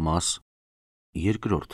Մաս երկրորդ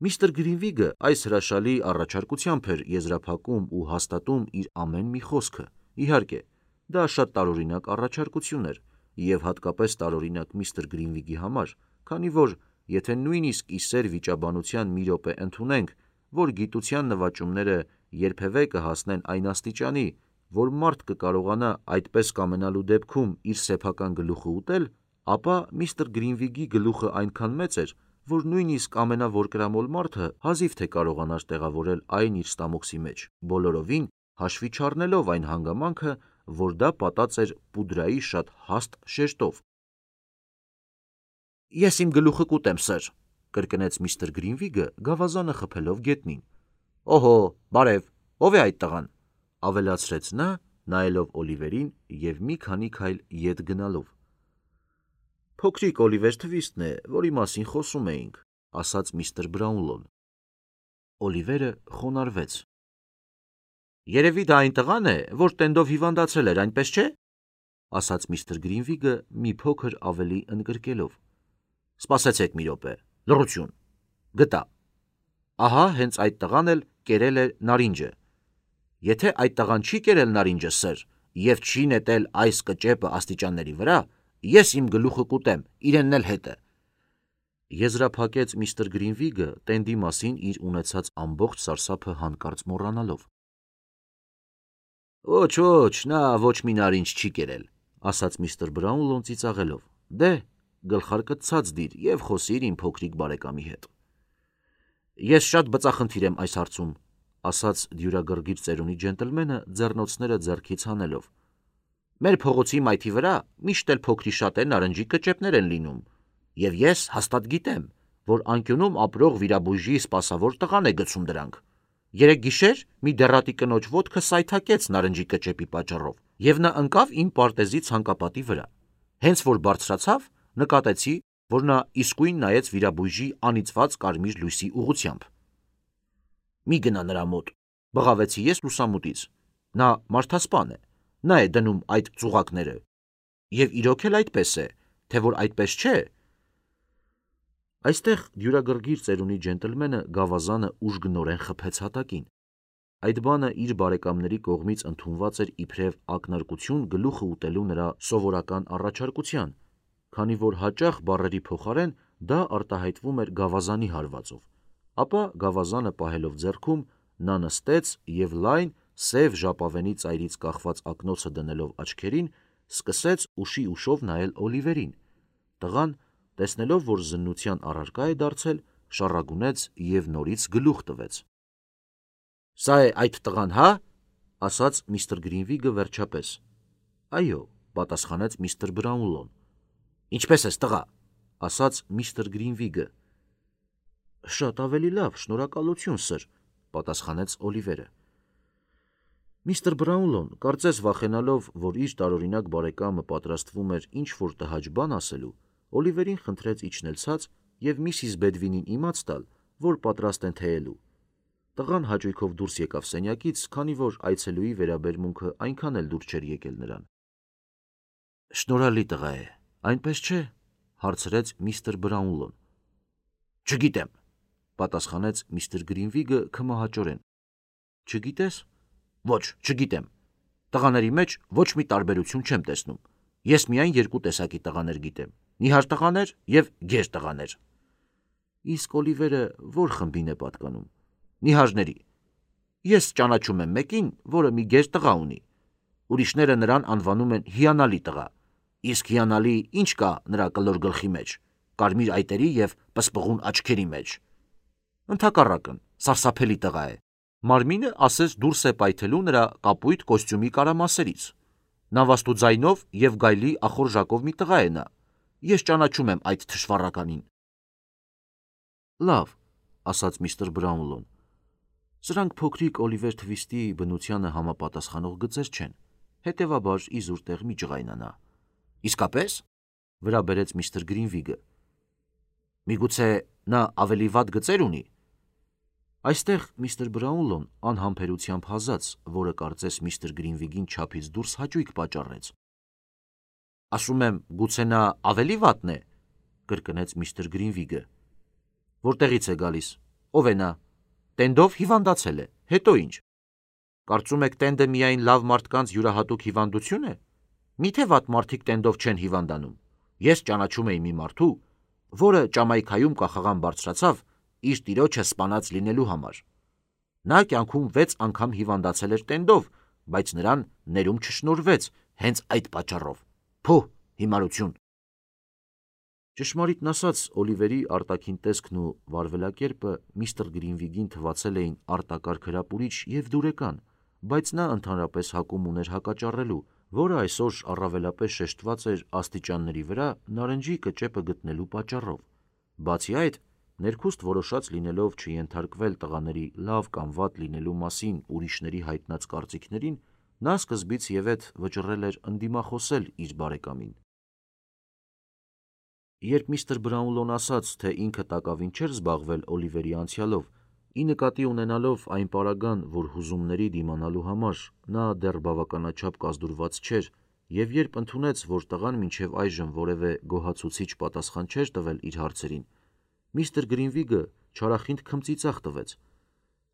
Միստր Գրինվիգը այս հրաշալի առաջարկությամբ էր եզրափակում ու հաստատում իր ամեն մի խոսքը։ Իհարկե, դա շատ տարօրինակ առաջարկություն էր, և հատկապես տարօրինակ միստր Գրինվիգի համար, քանի որ եթե նույնիսկ ի սեր վիճաբանության մի րոպե ընդունենք, որ գիտության նվաճումները երբևէ կհասնեն այն աստիճանի, որ մարդ կկարողանա այդպես կամենալու դեպքում իր սեփական գլուխը ուտել, ապա միստր Գրինվիգի գլուխը այնքան մեծ էր, որ նույնիսկ ամենավորկրամոլ մարդը հազիվ թե կարողանար տեղավորել այն իր ստամոքսի մեջ, բոլորովին հաշվի չառնելով այն հանգամանքը, որ դա պատած էր պուդրայի շատ հաստ շեշտով։ «Ես իմ գլուխը կուտեմ, սըր», կրկնեց միստր Գրինվիգը, գավազանը խփելով գետնին։ «Օհո, բարև, ով է այդ տղան», ավելացրեց նա, նայելով Օլիվերին և մի քանի քայլ ետ գնալով։ «Փոքրիկ Օլիվեր Թվիստն է, որի մասին խոսում էինք», ասաց միստր Բրաունլոն։ Օլիվերը խոնարհվեց։ «Երևի դա այն տղան է, որ տենդով հիվանդացել էր, այնպես չէ», ասաց միստր Գրինվիգը մի փոքր ավելի ընդգրկելով։ «Սպասեցեք մի րոպե, լռություն, գտա։ Ահա հենց այդ տղան էլ կերել է նարինջը։ Եթե այդ տղան չի կերել նարինջը, սըր, և չի նետել այս կճեպը աստիճանների վրա, ես իմ գլուխը կուտեմ, իրենն էլ հետը», եզրափակեց միստր Գրինվիգը տենդի մասին իր ունեցած ամբողջ սարսափը հանկարծ մոռանալով։ «Ոչ, նա ոչ մի նարինջ չի կերել», ասաց միստր Բրաունլոն ծիծաղելով։ «Դե, գլխարկդ ցած դիր և խոսիր իմ փոքրիկ բարեկամի հետ»։ «Ես շատ բծախնդիր եմ այս հարցում», ասաց դյուրագրգիռ ծերունի ջենտլմենը ձեռնոցները ձեռքից հանելով։ «Մեր փողոցի մայթի վրա միշտ էլ փոքրիշատե նարնջի կճեպներ են լինում, և ես հաստատ գիտեմ, որ անկյունում ապրող վիրաբույժի սպասավոր տղան է գցում դրանք։ Երեկ գիշեր մի դեռատի կնոջ ոտքը սայթաքեց նարնջի կճեպի պատճառով, և նա ընկավ իմ պարտեզի ցանկապատի վրա։ Հենց որ բարձրացավ, նկատեցի, որ նա իսկույն նայեց վիրաբույժի անիծված կարմիր լույսի ուղղությամբ։ Մի գնա նրա մոտ, բղավեցի ես լուսամուտից։ Նա մարդասպան է, նա է դնում այդ ծուղակները։ Եվ իրոք էլ այդպես է, թե որ այդպես չէ։ Այստեղ դյուրագրգիռ ծերունի ջենտլմենը գավազանը ուժգնորեն խփեց հատակին։ Այդ բանը իր բարեկամների կողմից ընդունված էր իբրև ակնարկություն գլուխը ուտելու նրա սովորական առաջարկության, քանի որ հաճախ բառերի փոխարեն դա արտահայտվում էր գավազանի հարվածով։ Ապա գավազանը պահելով ձեռքում, նա նստեց և լայն, սև ժապավենի ծայրից կախված ակնոցը դնելով աչքերին, սկսեց ուշի ուշով նայել Օլիվերին։ Տղան, տեսնելով, որ զննության առարկա է դարձել, շառագունեց և նորից գլուխ տվեց։ «Սա է այդ տղան, հա», ասաց միստր Գրինվիգը վերջապես։ «Այո», պատասխանեց միստր Բրաունլոն։ «Ինչպե՞ս ես, տղա», ասաց միստր Գրինվիգը։ «Շատ ավելի լավ, շնորհակալություն, սըր», պատասխանեց Օլիվերը։ Միստր Բրաունլոն, կարծես վախենալով, որ իր տարօրինակ բարեկամը պատրաստվում էր ինչ-որ տհաճ բան ասելու, Օլիվերին խնդրեց իջնել ցած և միսիս Բեդվինին իմաց տալ, որ պատրաստ են թեյելու։ Տղան հաճույքով դուրս եկավ սենյակից, քանի որ այցելուի վերաբերմունքը այնքան էլ դուր չէր եկել նրան։ «Շնորհալի տղա է, այնպես չէ», հարցրեց միստր Բրաունլոն։ «Չգիտեմ», պատասխանեց միստր Գրինվիգը քմահաճորեն։ «Չգիտես»։ «Ոչ, չգիտեմ։ Տղաների մեջ ոչ մի տարբերություն չեմ տեսնում։ Ես միայն երկու տեսակի տղաներ գիտեմ՝ նիհար տղաներ և գեր տղաներ»։ «Իսկ Օլիվերը ո՞ր խմբին է պատկանում»։ «Նիհարների։ Ես ճանաչում եմ մեկին, որը մի գեր տղա ունի։ Ուրիշները նրան անվանում են հիանալի տղա։ Իսկ հիանալի ինչ կա նրա կլոր գլխի մեջ, կարմիր այտերի և պսպղուն աչքերի մեջ։ Ընդհակառակն, սարսափելի տղա է։ Մարմինը ասես դուրս է պայթելու նրա կապույտ կոստյումի կարամասերից։ Նավաստու ձայնով և գայլի ախորժակով մի տղա է նա։ Ես ճանաչում եմ այդ թշվառականին»։ «Լավ», ասաց միստր Բրաունլոն։ «Սրանք փոքրիկ Օլիվեր Թվիստի բնությանը համապատասխանող գծեր չեն, հետևաբար իզուր տեղ մի ջղայնանա»։ «Իսկապես», վրա բերեց միստր Գրինվիգը։ «Միգուցե նա ավելի վատ գծեր ունի»։ Այստեղ միստր Բրաունլոն անհամբերությամբ հազաց, որը կարծես միստր Գրինվիգին չափից դուրս հաճույք պատճառեց։ «Ասում եմ, գուցե նա ավելի վատն է», կրկնեց միստր Գրինվիգը։ Որտեղից է գալիս։ Ով է նա։ Տենդով հիվանդացել է։ Հետո ինչ։ Կարծում եք տենդը միայն լավ մարդկանց յուրահատուկ հիվանդություն է։ Միթե վատ մարդիկ տենդով չեն հիվանդանում։ Ես ճանաչում էի մի մարդու, որը Ճամայքայում կախաղան բարձրացավ իր տիրոջը սպանած լինելու համար։ Նա կյանքում 6 անգամ հիվանդացել էր տենդով, բայց նրան ներում չշնորհվեց հենց այդ պատճառով։ Փոհ, հիմարություն։ Ճշմարիտն ասած, Օլիվերի արտաքին տեսքն ու վարվելակերպը միստր Գրինվիգին թվացել էին արտակարգ հրապուրիչ և դուրեկան, բայց նա ընդհանրապես հակում ուներ հակաճառելու, որը այսօր առավելապես շեշտված էր աստիճանների վրա նարնջի կճեպը գտնելու պատճառով։ Բացի այդ, ներքուստ որոշած լինելով չենթարկվել տղաների լավ կամ վատ լինելու մասին ուրիշների հայտնած կարծիքներին, նա սկզբից ևեթ վճռել էր ընդդիմախոսել իր բարեկամին։ Երբ միստր Բրաունլոն ասաց, թե ինքը տակավին չէր զբաղվել Օլիվերի անցյալով, ի նկատի ունենալով այն պարագան, որ հուզումների դիմանալու համար նա դեռ բավականաչափ կազդուրված չէր, և երբ ընդունեց, որ տղան մինչև այժմ որևէ գոհացուցիչ պատասխան չէր տվել իր հարցերին, միստր Գրինվիգը չարախինդ քմծիծաղ տվեց։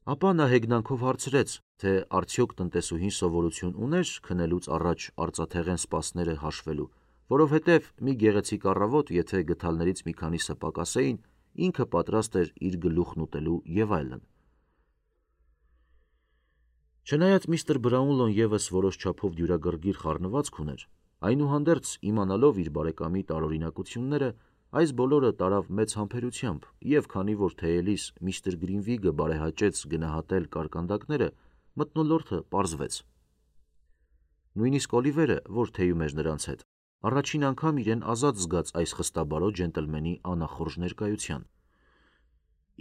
Ապա նա հեգնանքով հարցրեց, թե արդյոք տնտեսուհին սովորություն ուներ քնելուց առաջ արծաթեղեն սպասները հաշվելու, որովհետև մի գեղեցիկ առավոտ, եթե գդալներից մի քանիսը պակասեին, ինքը պատրաստ էր իր գլուխն ուտելու և այլն։ Չնայած միստր Բրաունլոն ևս որոշ չափով դյուրագրգիռ խառնվածք ուներ, այնուհանդերձ իմանալով իր բարեկամի տարօրինակությունները, այս բոլորը տարավ մեծ համբերությամբ, և քանի որ թեյելիս միստր Գրինվիգը բարեհաճեց գնահատել կարկանդակները, մթնոլորտը պարզվեց։ Նույնիսկ Օլիվերը, որ թեյում էր նրանց հետ, առաջին անգամ իրեն ազատ զգաց այս խստաբարո ջենտլմենի անախորժ ներկայության։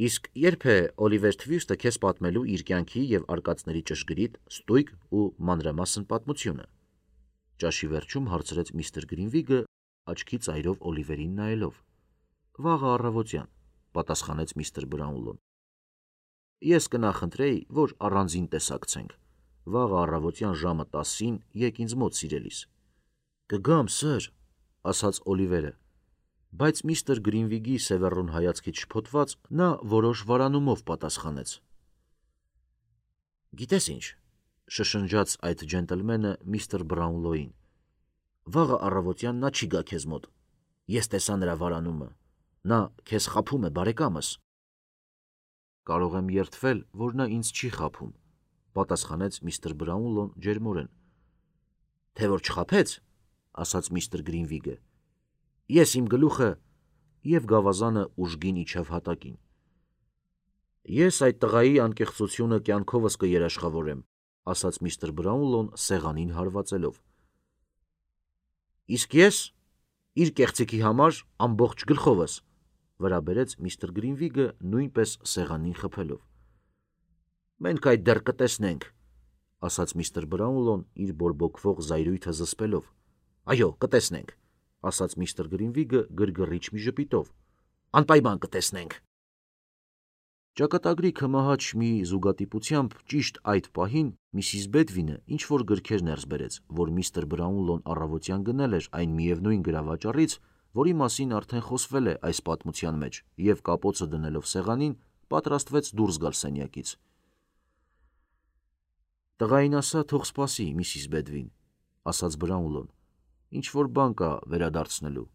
Իսկ երբ է Օլիվեր Թվիստը քեզ պատմելու իր կյանքի և արկածների ճշգրիտ, ստույգ ու մանրամասն պատմությունը, ճաշի վերջում հարցրեց միստր Գրինվիգը, աչքի ծայրով Օլիվերին նայելով։ Վաղը առավոտյան, պատասխանեց միստր Բրաունլոն։ Ես կնախընտրեի, որ առանձին տեսակցենք։ Վաղը առավոտյան ժամը 10-ին եկ ինձ մոտ, սիրելիս։ Կգամ, սըր, ասաց Օլիվերը, բայց միստր Գրինվիգի սևեռուն հայացքից շփոթված, նա որոշ վարանումով պատասխանեց։ Գիտես ինչ, շշնջաց այդ ջենտլմենը միստր Բրաունլոյին, վաղը առավոտյան նա չի գա քեզ մոտ։ Ես տեսա նրա վարանումը։ Նա քեզ խաբում է, բարեկամս։ Կարող եմ երդվել, որ նա ինձ չի խաբում, պատասխանեց միստր Բրաունլոն ջերմորեն։ Թե որ չխաբեց, ասաց միստր Գրինվիգը, ես իմ գլուխը, և գավազանը ուժգին իջավ հատակին։ Ես այդ տղայի անկեղծությունը կյանքովս կերաշխավորեմ, ասաց միստր Բրաունլոն սեղանին հարվածելով։ Իսկ ես իր կեղծիքի համար ամբողջ գլխովս, վրա բերեց միստր Գրինվիգը նույնպես սեղանին խփելով։ Մենք այդ դեռ կտեսնենք, ասաց միստր Բրաունլոն իր բորբոքվող զայրույթը զսպելով։ Այո, կտեսնենք, ասաց միստր Գրինվիգը գրգռիչ մի ժպիտով։ Անպայման կտեսնենք։ Ճակատագրի քմահաճ մի զուգատիպությամբ ճիշտ այդ պահին Միսիս Բեդվինը ինչ-որ գրքեր ներս բերեց, որ միստր Բրաունլոն առավոտյան գնել էր այն միևնույն գրավաճառից, որի մասին արդեն խոսվել է այս պատմության մեջ, և կապոցը դնելով սեղանին, պատրաստվեց դուրս գալ սենյակից։ Տղային ասա, թող սպասի, Միսիս Բեդվին, ասաց Բրաունլոն, ինչ-որ բան կա վերադարձնելու։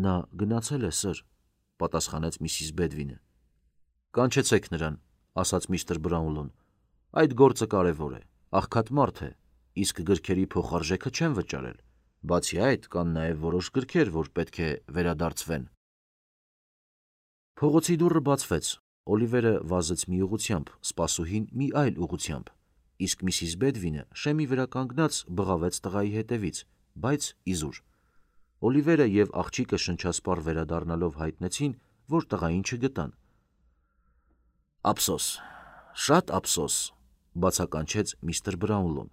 Նա գնացել է, սըր, պատասխանեց Միսիս Բեդվինը։ Կանչեցեք նրան, ասաց միստր Բրաունլոն, այդ գործը կարևոր է, աղքատ մարդ է, իսկ գրքերի փոխարժեքը չեմ վճարել, բացի այդ կան նաև որոշ գրքեր, որ պետք է վերադարձվեն։ Փողոցի դուռը բացվեց, Օլիվերը վազեց մի ուղղությամբ, սպասուհին մի այլ ուղղությամբ, իսկ Միսիս Բեդվինը շեմի վրա կանգնած բղավեց տղայի հետևից, բայց իզուր։ Օլիվերը և աղջիկը շնչասպառ վերադառնալով հայտնեցին, որ տղային չգտան։ Ափսոս, շատ ափսոս, բացականչեց միստր Բրաունլոն։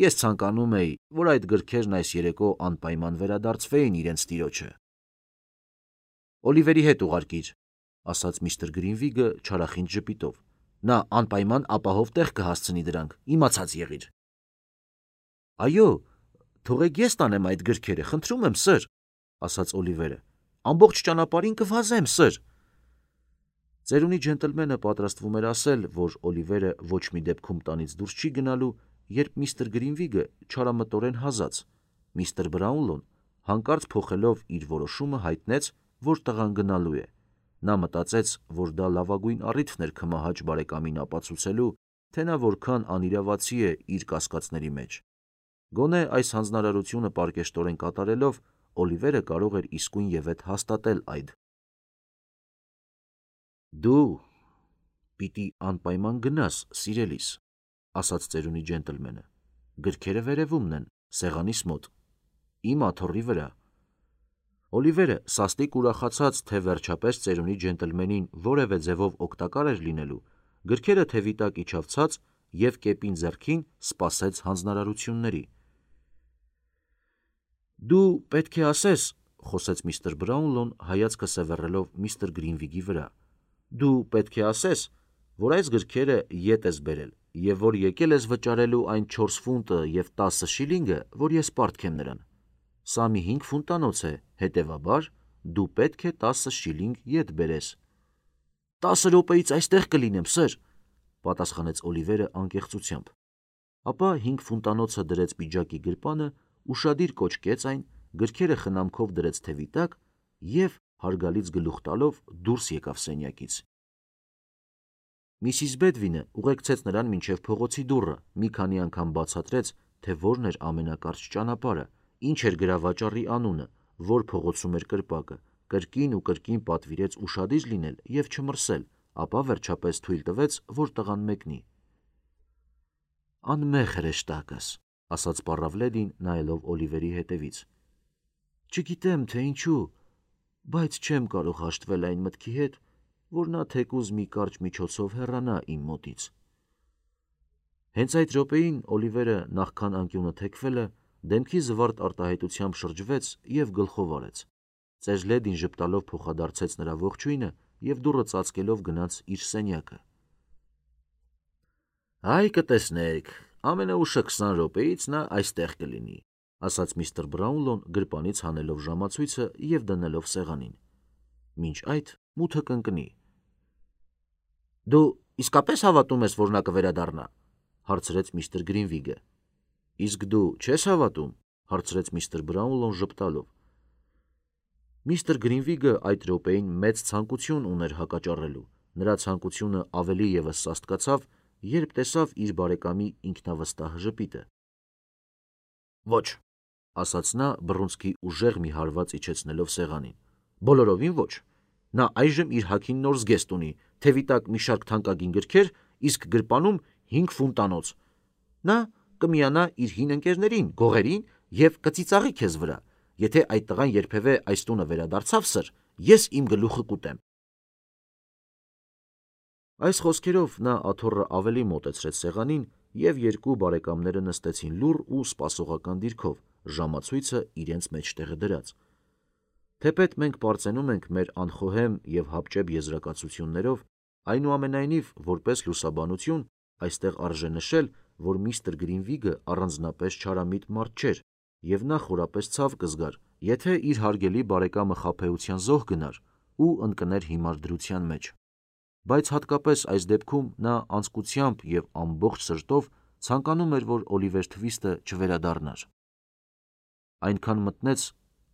Ես ցանկանում էի, որ այդ գրքերն այս երեկո անպայման վերադարձվեին իրենց տիրոջը։ Օլիվերի հետ ուղարկիր, ասաց միստր Գրինվիգը չարախինդ ժպիտով։ Նա անպայման ապահով տեղ կհասցնի դրանք, իմացած եղիր։ Այո, թողեք ես տանեմ այդ գրքերը, խնդրում եմ, սըր, ասաց Օլիվերը։ ամբողջ ճանապարհին կվազեմ, սըր։ Ծերունի ջենտլմենը պատրաստվում էր ասել, որ Օլիվերը ոչ մի դեպքում տանից դուրս չի գնալու, երբ միստր Գրինվիգը չարամտորեն հազաց։ Միստր Բրաունլոն հանկարծ փոխելով իր որոշումը հայտնեց, որ տղան գնալու է։ Նա մտածեց, որ դա լավագույն առիթն էր քմահաճ բարեկամին ապացուցելու, թե նա որքան անիրավացի է իր կասկածների մեջ։ Գոնե այս հանձնարարությունը պարկեշտորեն կատարելով, Օլիվերը կարող էր իսկույն ևեթ հաստատել այդ։ «Դու պիտի անպայման գնաս, սիրելիս», ասաց ծերունի ջենտլմենը։ «Գրքերը վերևումն են, սեղանիս մոտ, իմ աթոռի վրա»։ Օլիվերը սաստիկ ուրախացած, թե վերջապես ծերունի ջենտլմենին որևէ ձևով օգտակար էր լինելու, գրքերը թևի տակ իջավ ցած և կեպին ձեռքին սպասեց հանձնարարությունների։ «Դու պետք է ասես», խոսեց միստր Բրաունլոն, հայացքը սևեռելով միստր Գրինվիգի վրա, «դու պետք է ասես, որ այս գրքերը ետ ես բերել և որ եկել ես վճարելու այն 4 ֆունտը և 10 շիլինգը, որ ես պարտք եմ նրան։ Սա մի 5 ֆունտանոց է, հետևաբար դու պետք է 10 շիլինգ ետ բերես»։ 10 րոպեից այստեղ կլինեմ, սըր, պատասխանեց Օլիվերը անկեղծությամբ։ Ապա 5 ֆունտանոցը դրեց պիջակի գրպանը, ուշադիր կոճկեց այն, գրքերը խնամքով դրեց թևի տակ և, հարգալից գլուխ տալով, դուրս եկավ սենյակից։ Միսիս Բեդվինը ուղեկցեց նրան մինչև փողոցի դուռը, մի քանի անգամ բացատրեց, թե որն էր ամենակարճ ճանապարհը, ինչ էր գրավաճառի անունը, որ փողոցում էր կրպակը, կրկին ու կրկին պատվիրեց ուշադիր լինել և չմրսել, ապա վերջապես թույլ տվեց, որ տղան մեկնի։ «Անմեղ հրեշտակս», ասաց պառավլեդին, նայելով Օլիվերի հետևից։ «Չգիտեմ, թե ինչու, բայց չեմ կարող հաշտվել այն մտքի հետ, որ նա թեկուզ մի կարճ միջոցով հեռանա իմ մոտից»։ Հենց այդ րոպեին Օլիվերը, նախքան անկյունը թեքվելը, դեմքի զվարթ արտահայտությամբ շրջվեց և գլխով արեց։ Ծեժլեդին ժպտալով փոխադարձեց նրա ողջույնը և դուռը ծածկելով գնաց իր սենյակը։ «Այ կտեսնեք, ամենաուշը 20 րոպեից նա այստեղ կլինի», ասաց միստր Բրաունլոն գրպանից հանելով ժամացույցը և դնելով սեղանին։ «Մինչ այդ մութը կընկնի»։ «Դու իսկապես հավատում ես, որ նա կվերադառնա», հարցրեց միստր Գրինվիգը։ «Իսկ դու չես հավատում», հարցրեց միստր Բրաունլոն ժպտալով։ Միստր Գրինվիգը այդ րոպեին մեծ ցանկություն ուներ հակաճառելու։ Նրա ցանկությունը ավելի ևս սաստկացավ, երբ տեսավ իր բարեկամի ինքնավստահ ժպիտը։ «Ոչ», ասաց նա, բռունցքի ուժեղ մի հարված իջեցնելով սեղանին։ «Բոլորովին ոչ։ Նա այժմ իր հագին նոր զգեստ ունի, թևի տակ մի շարք թանկագին գրքեր, իսկ գրպանում 5 ֆունտանոց։ Նա կմիանա իր հին ընկերներին, գողերին և կծիծաղի քեզ վրա։ Եթե այդ տղան երբևէ այս տունը վերադարձավ, սըր, ես իմ գլուխը կուտեմ»։ Այս խոսքերով նա աթոռը ավելի մոտեցրեց սեղանին, և երկու բարեկամները նստեցին լուռ ու սպասողական դիրքով, ժամացույցը իրենց մեջտեղը դրած։ Թեպետ մենք պարծենում ենք մեր անխոհեմ և հապճեպ եզրակացություններով, այնուամենայնիվ, որպես լուսաբանություն, այստեղ արժե նշել, որ միստր Գրինվիգը առանձնապես չարամիտ մարդ չէր, և նա խորապես ցավ կզգար, եթե իր հարգելի բարեկամը խաբեության զոհ գնար ու ընկներ հիմար դրության մեջ։ Բայց հատկապես այս դեպքում նա անձկությամբ և ամբողջ սրտով ցանկանում էր, որ Օլիվեր Թվիստը չվերադառնար։ Այնքան մտնեց,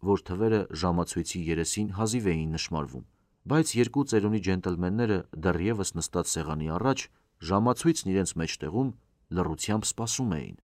որ թվերը ժամացույցի երեսին հազիվ էին նշմարվում, բայց երկու ծերունի ջենտլմենները դեռևս նստած սեղանի առաջ, ժամացույցն իրենց մեջտեղում, լռությամբ սպասում էին։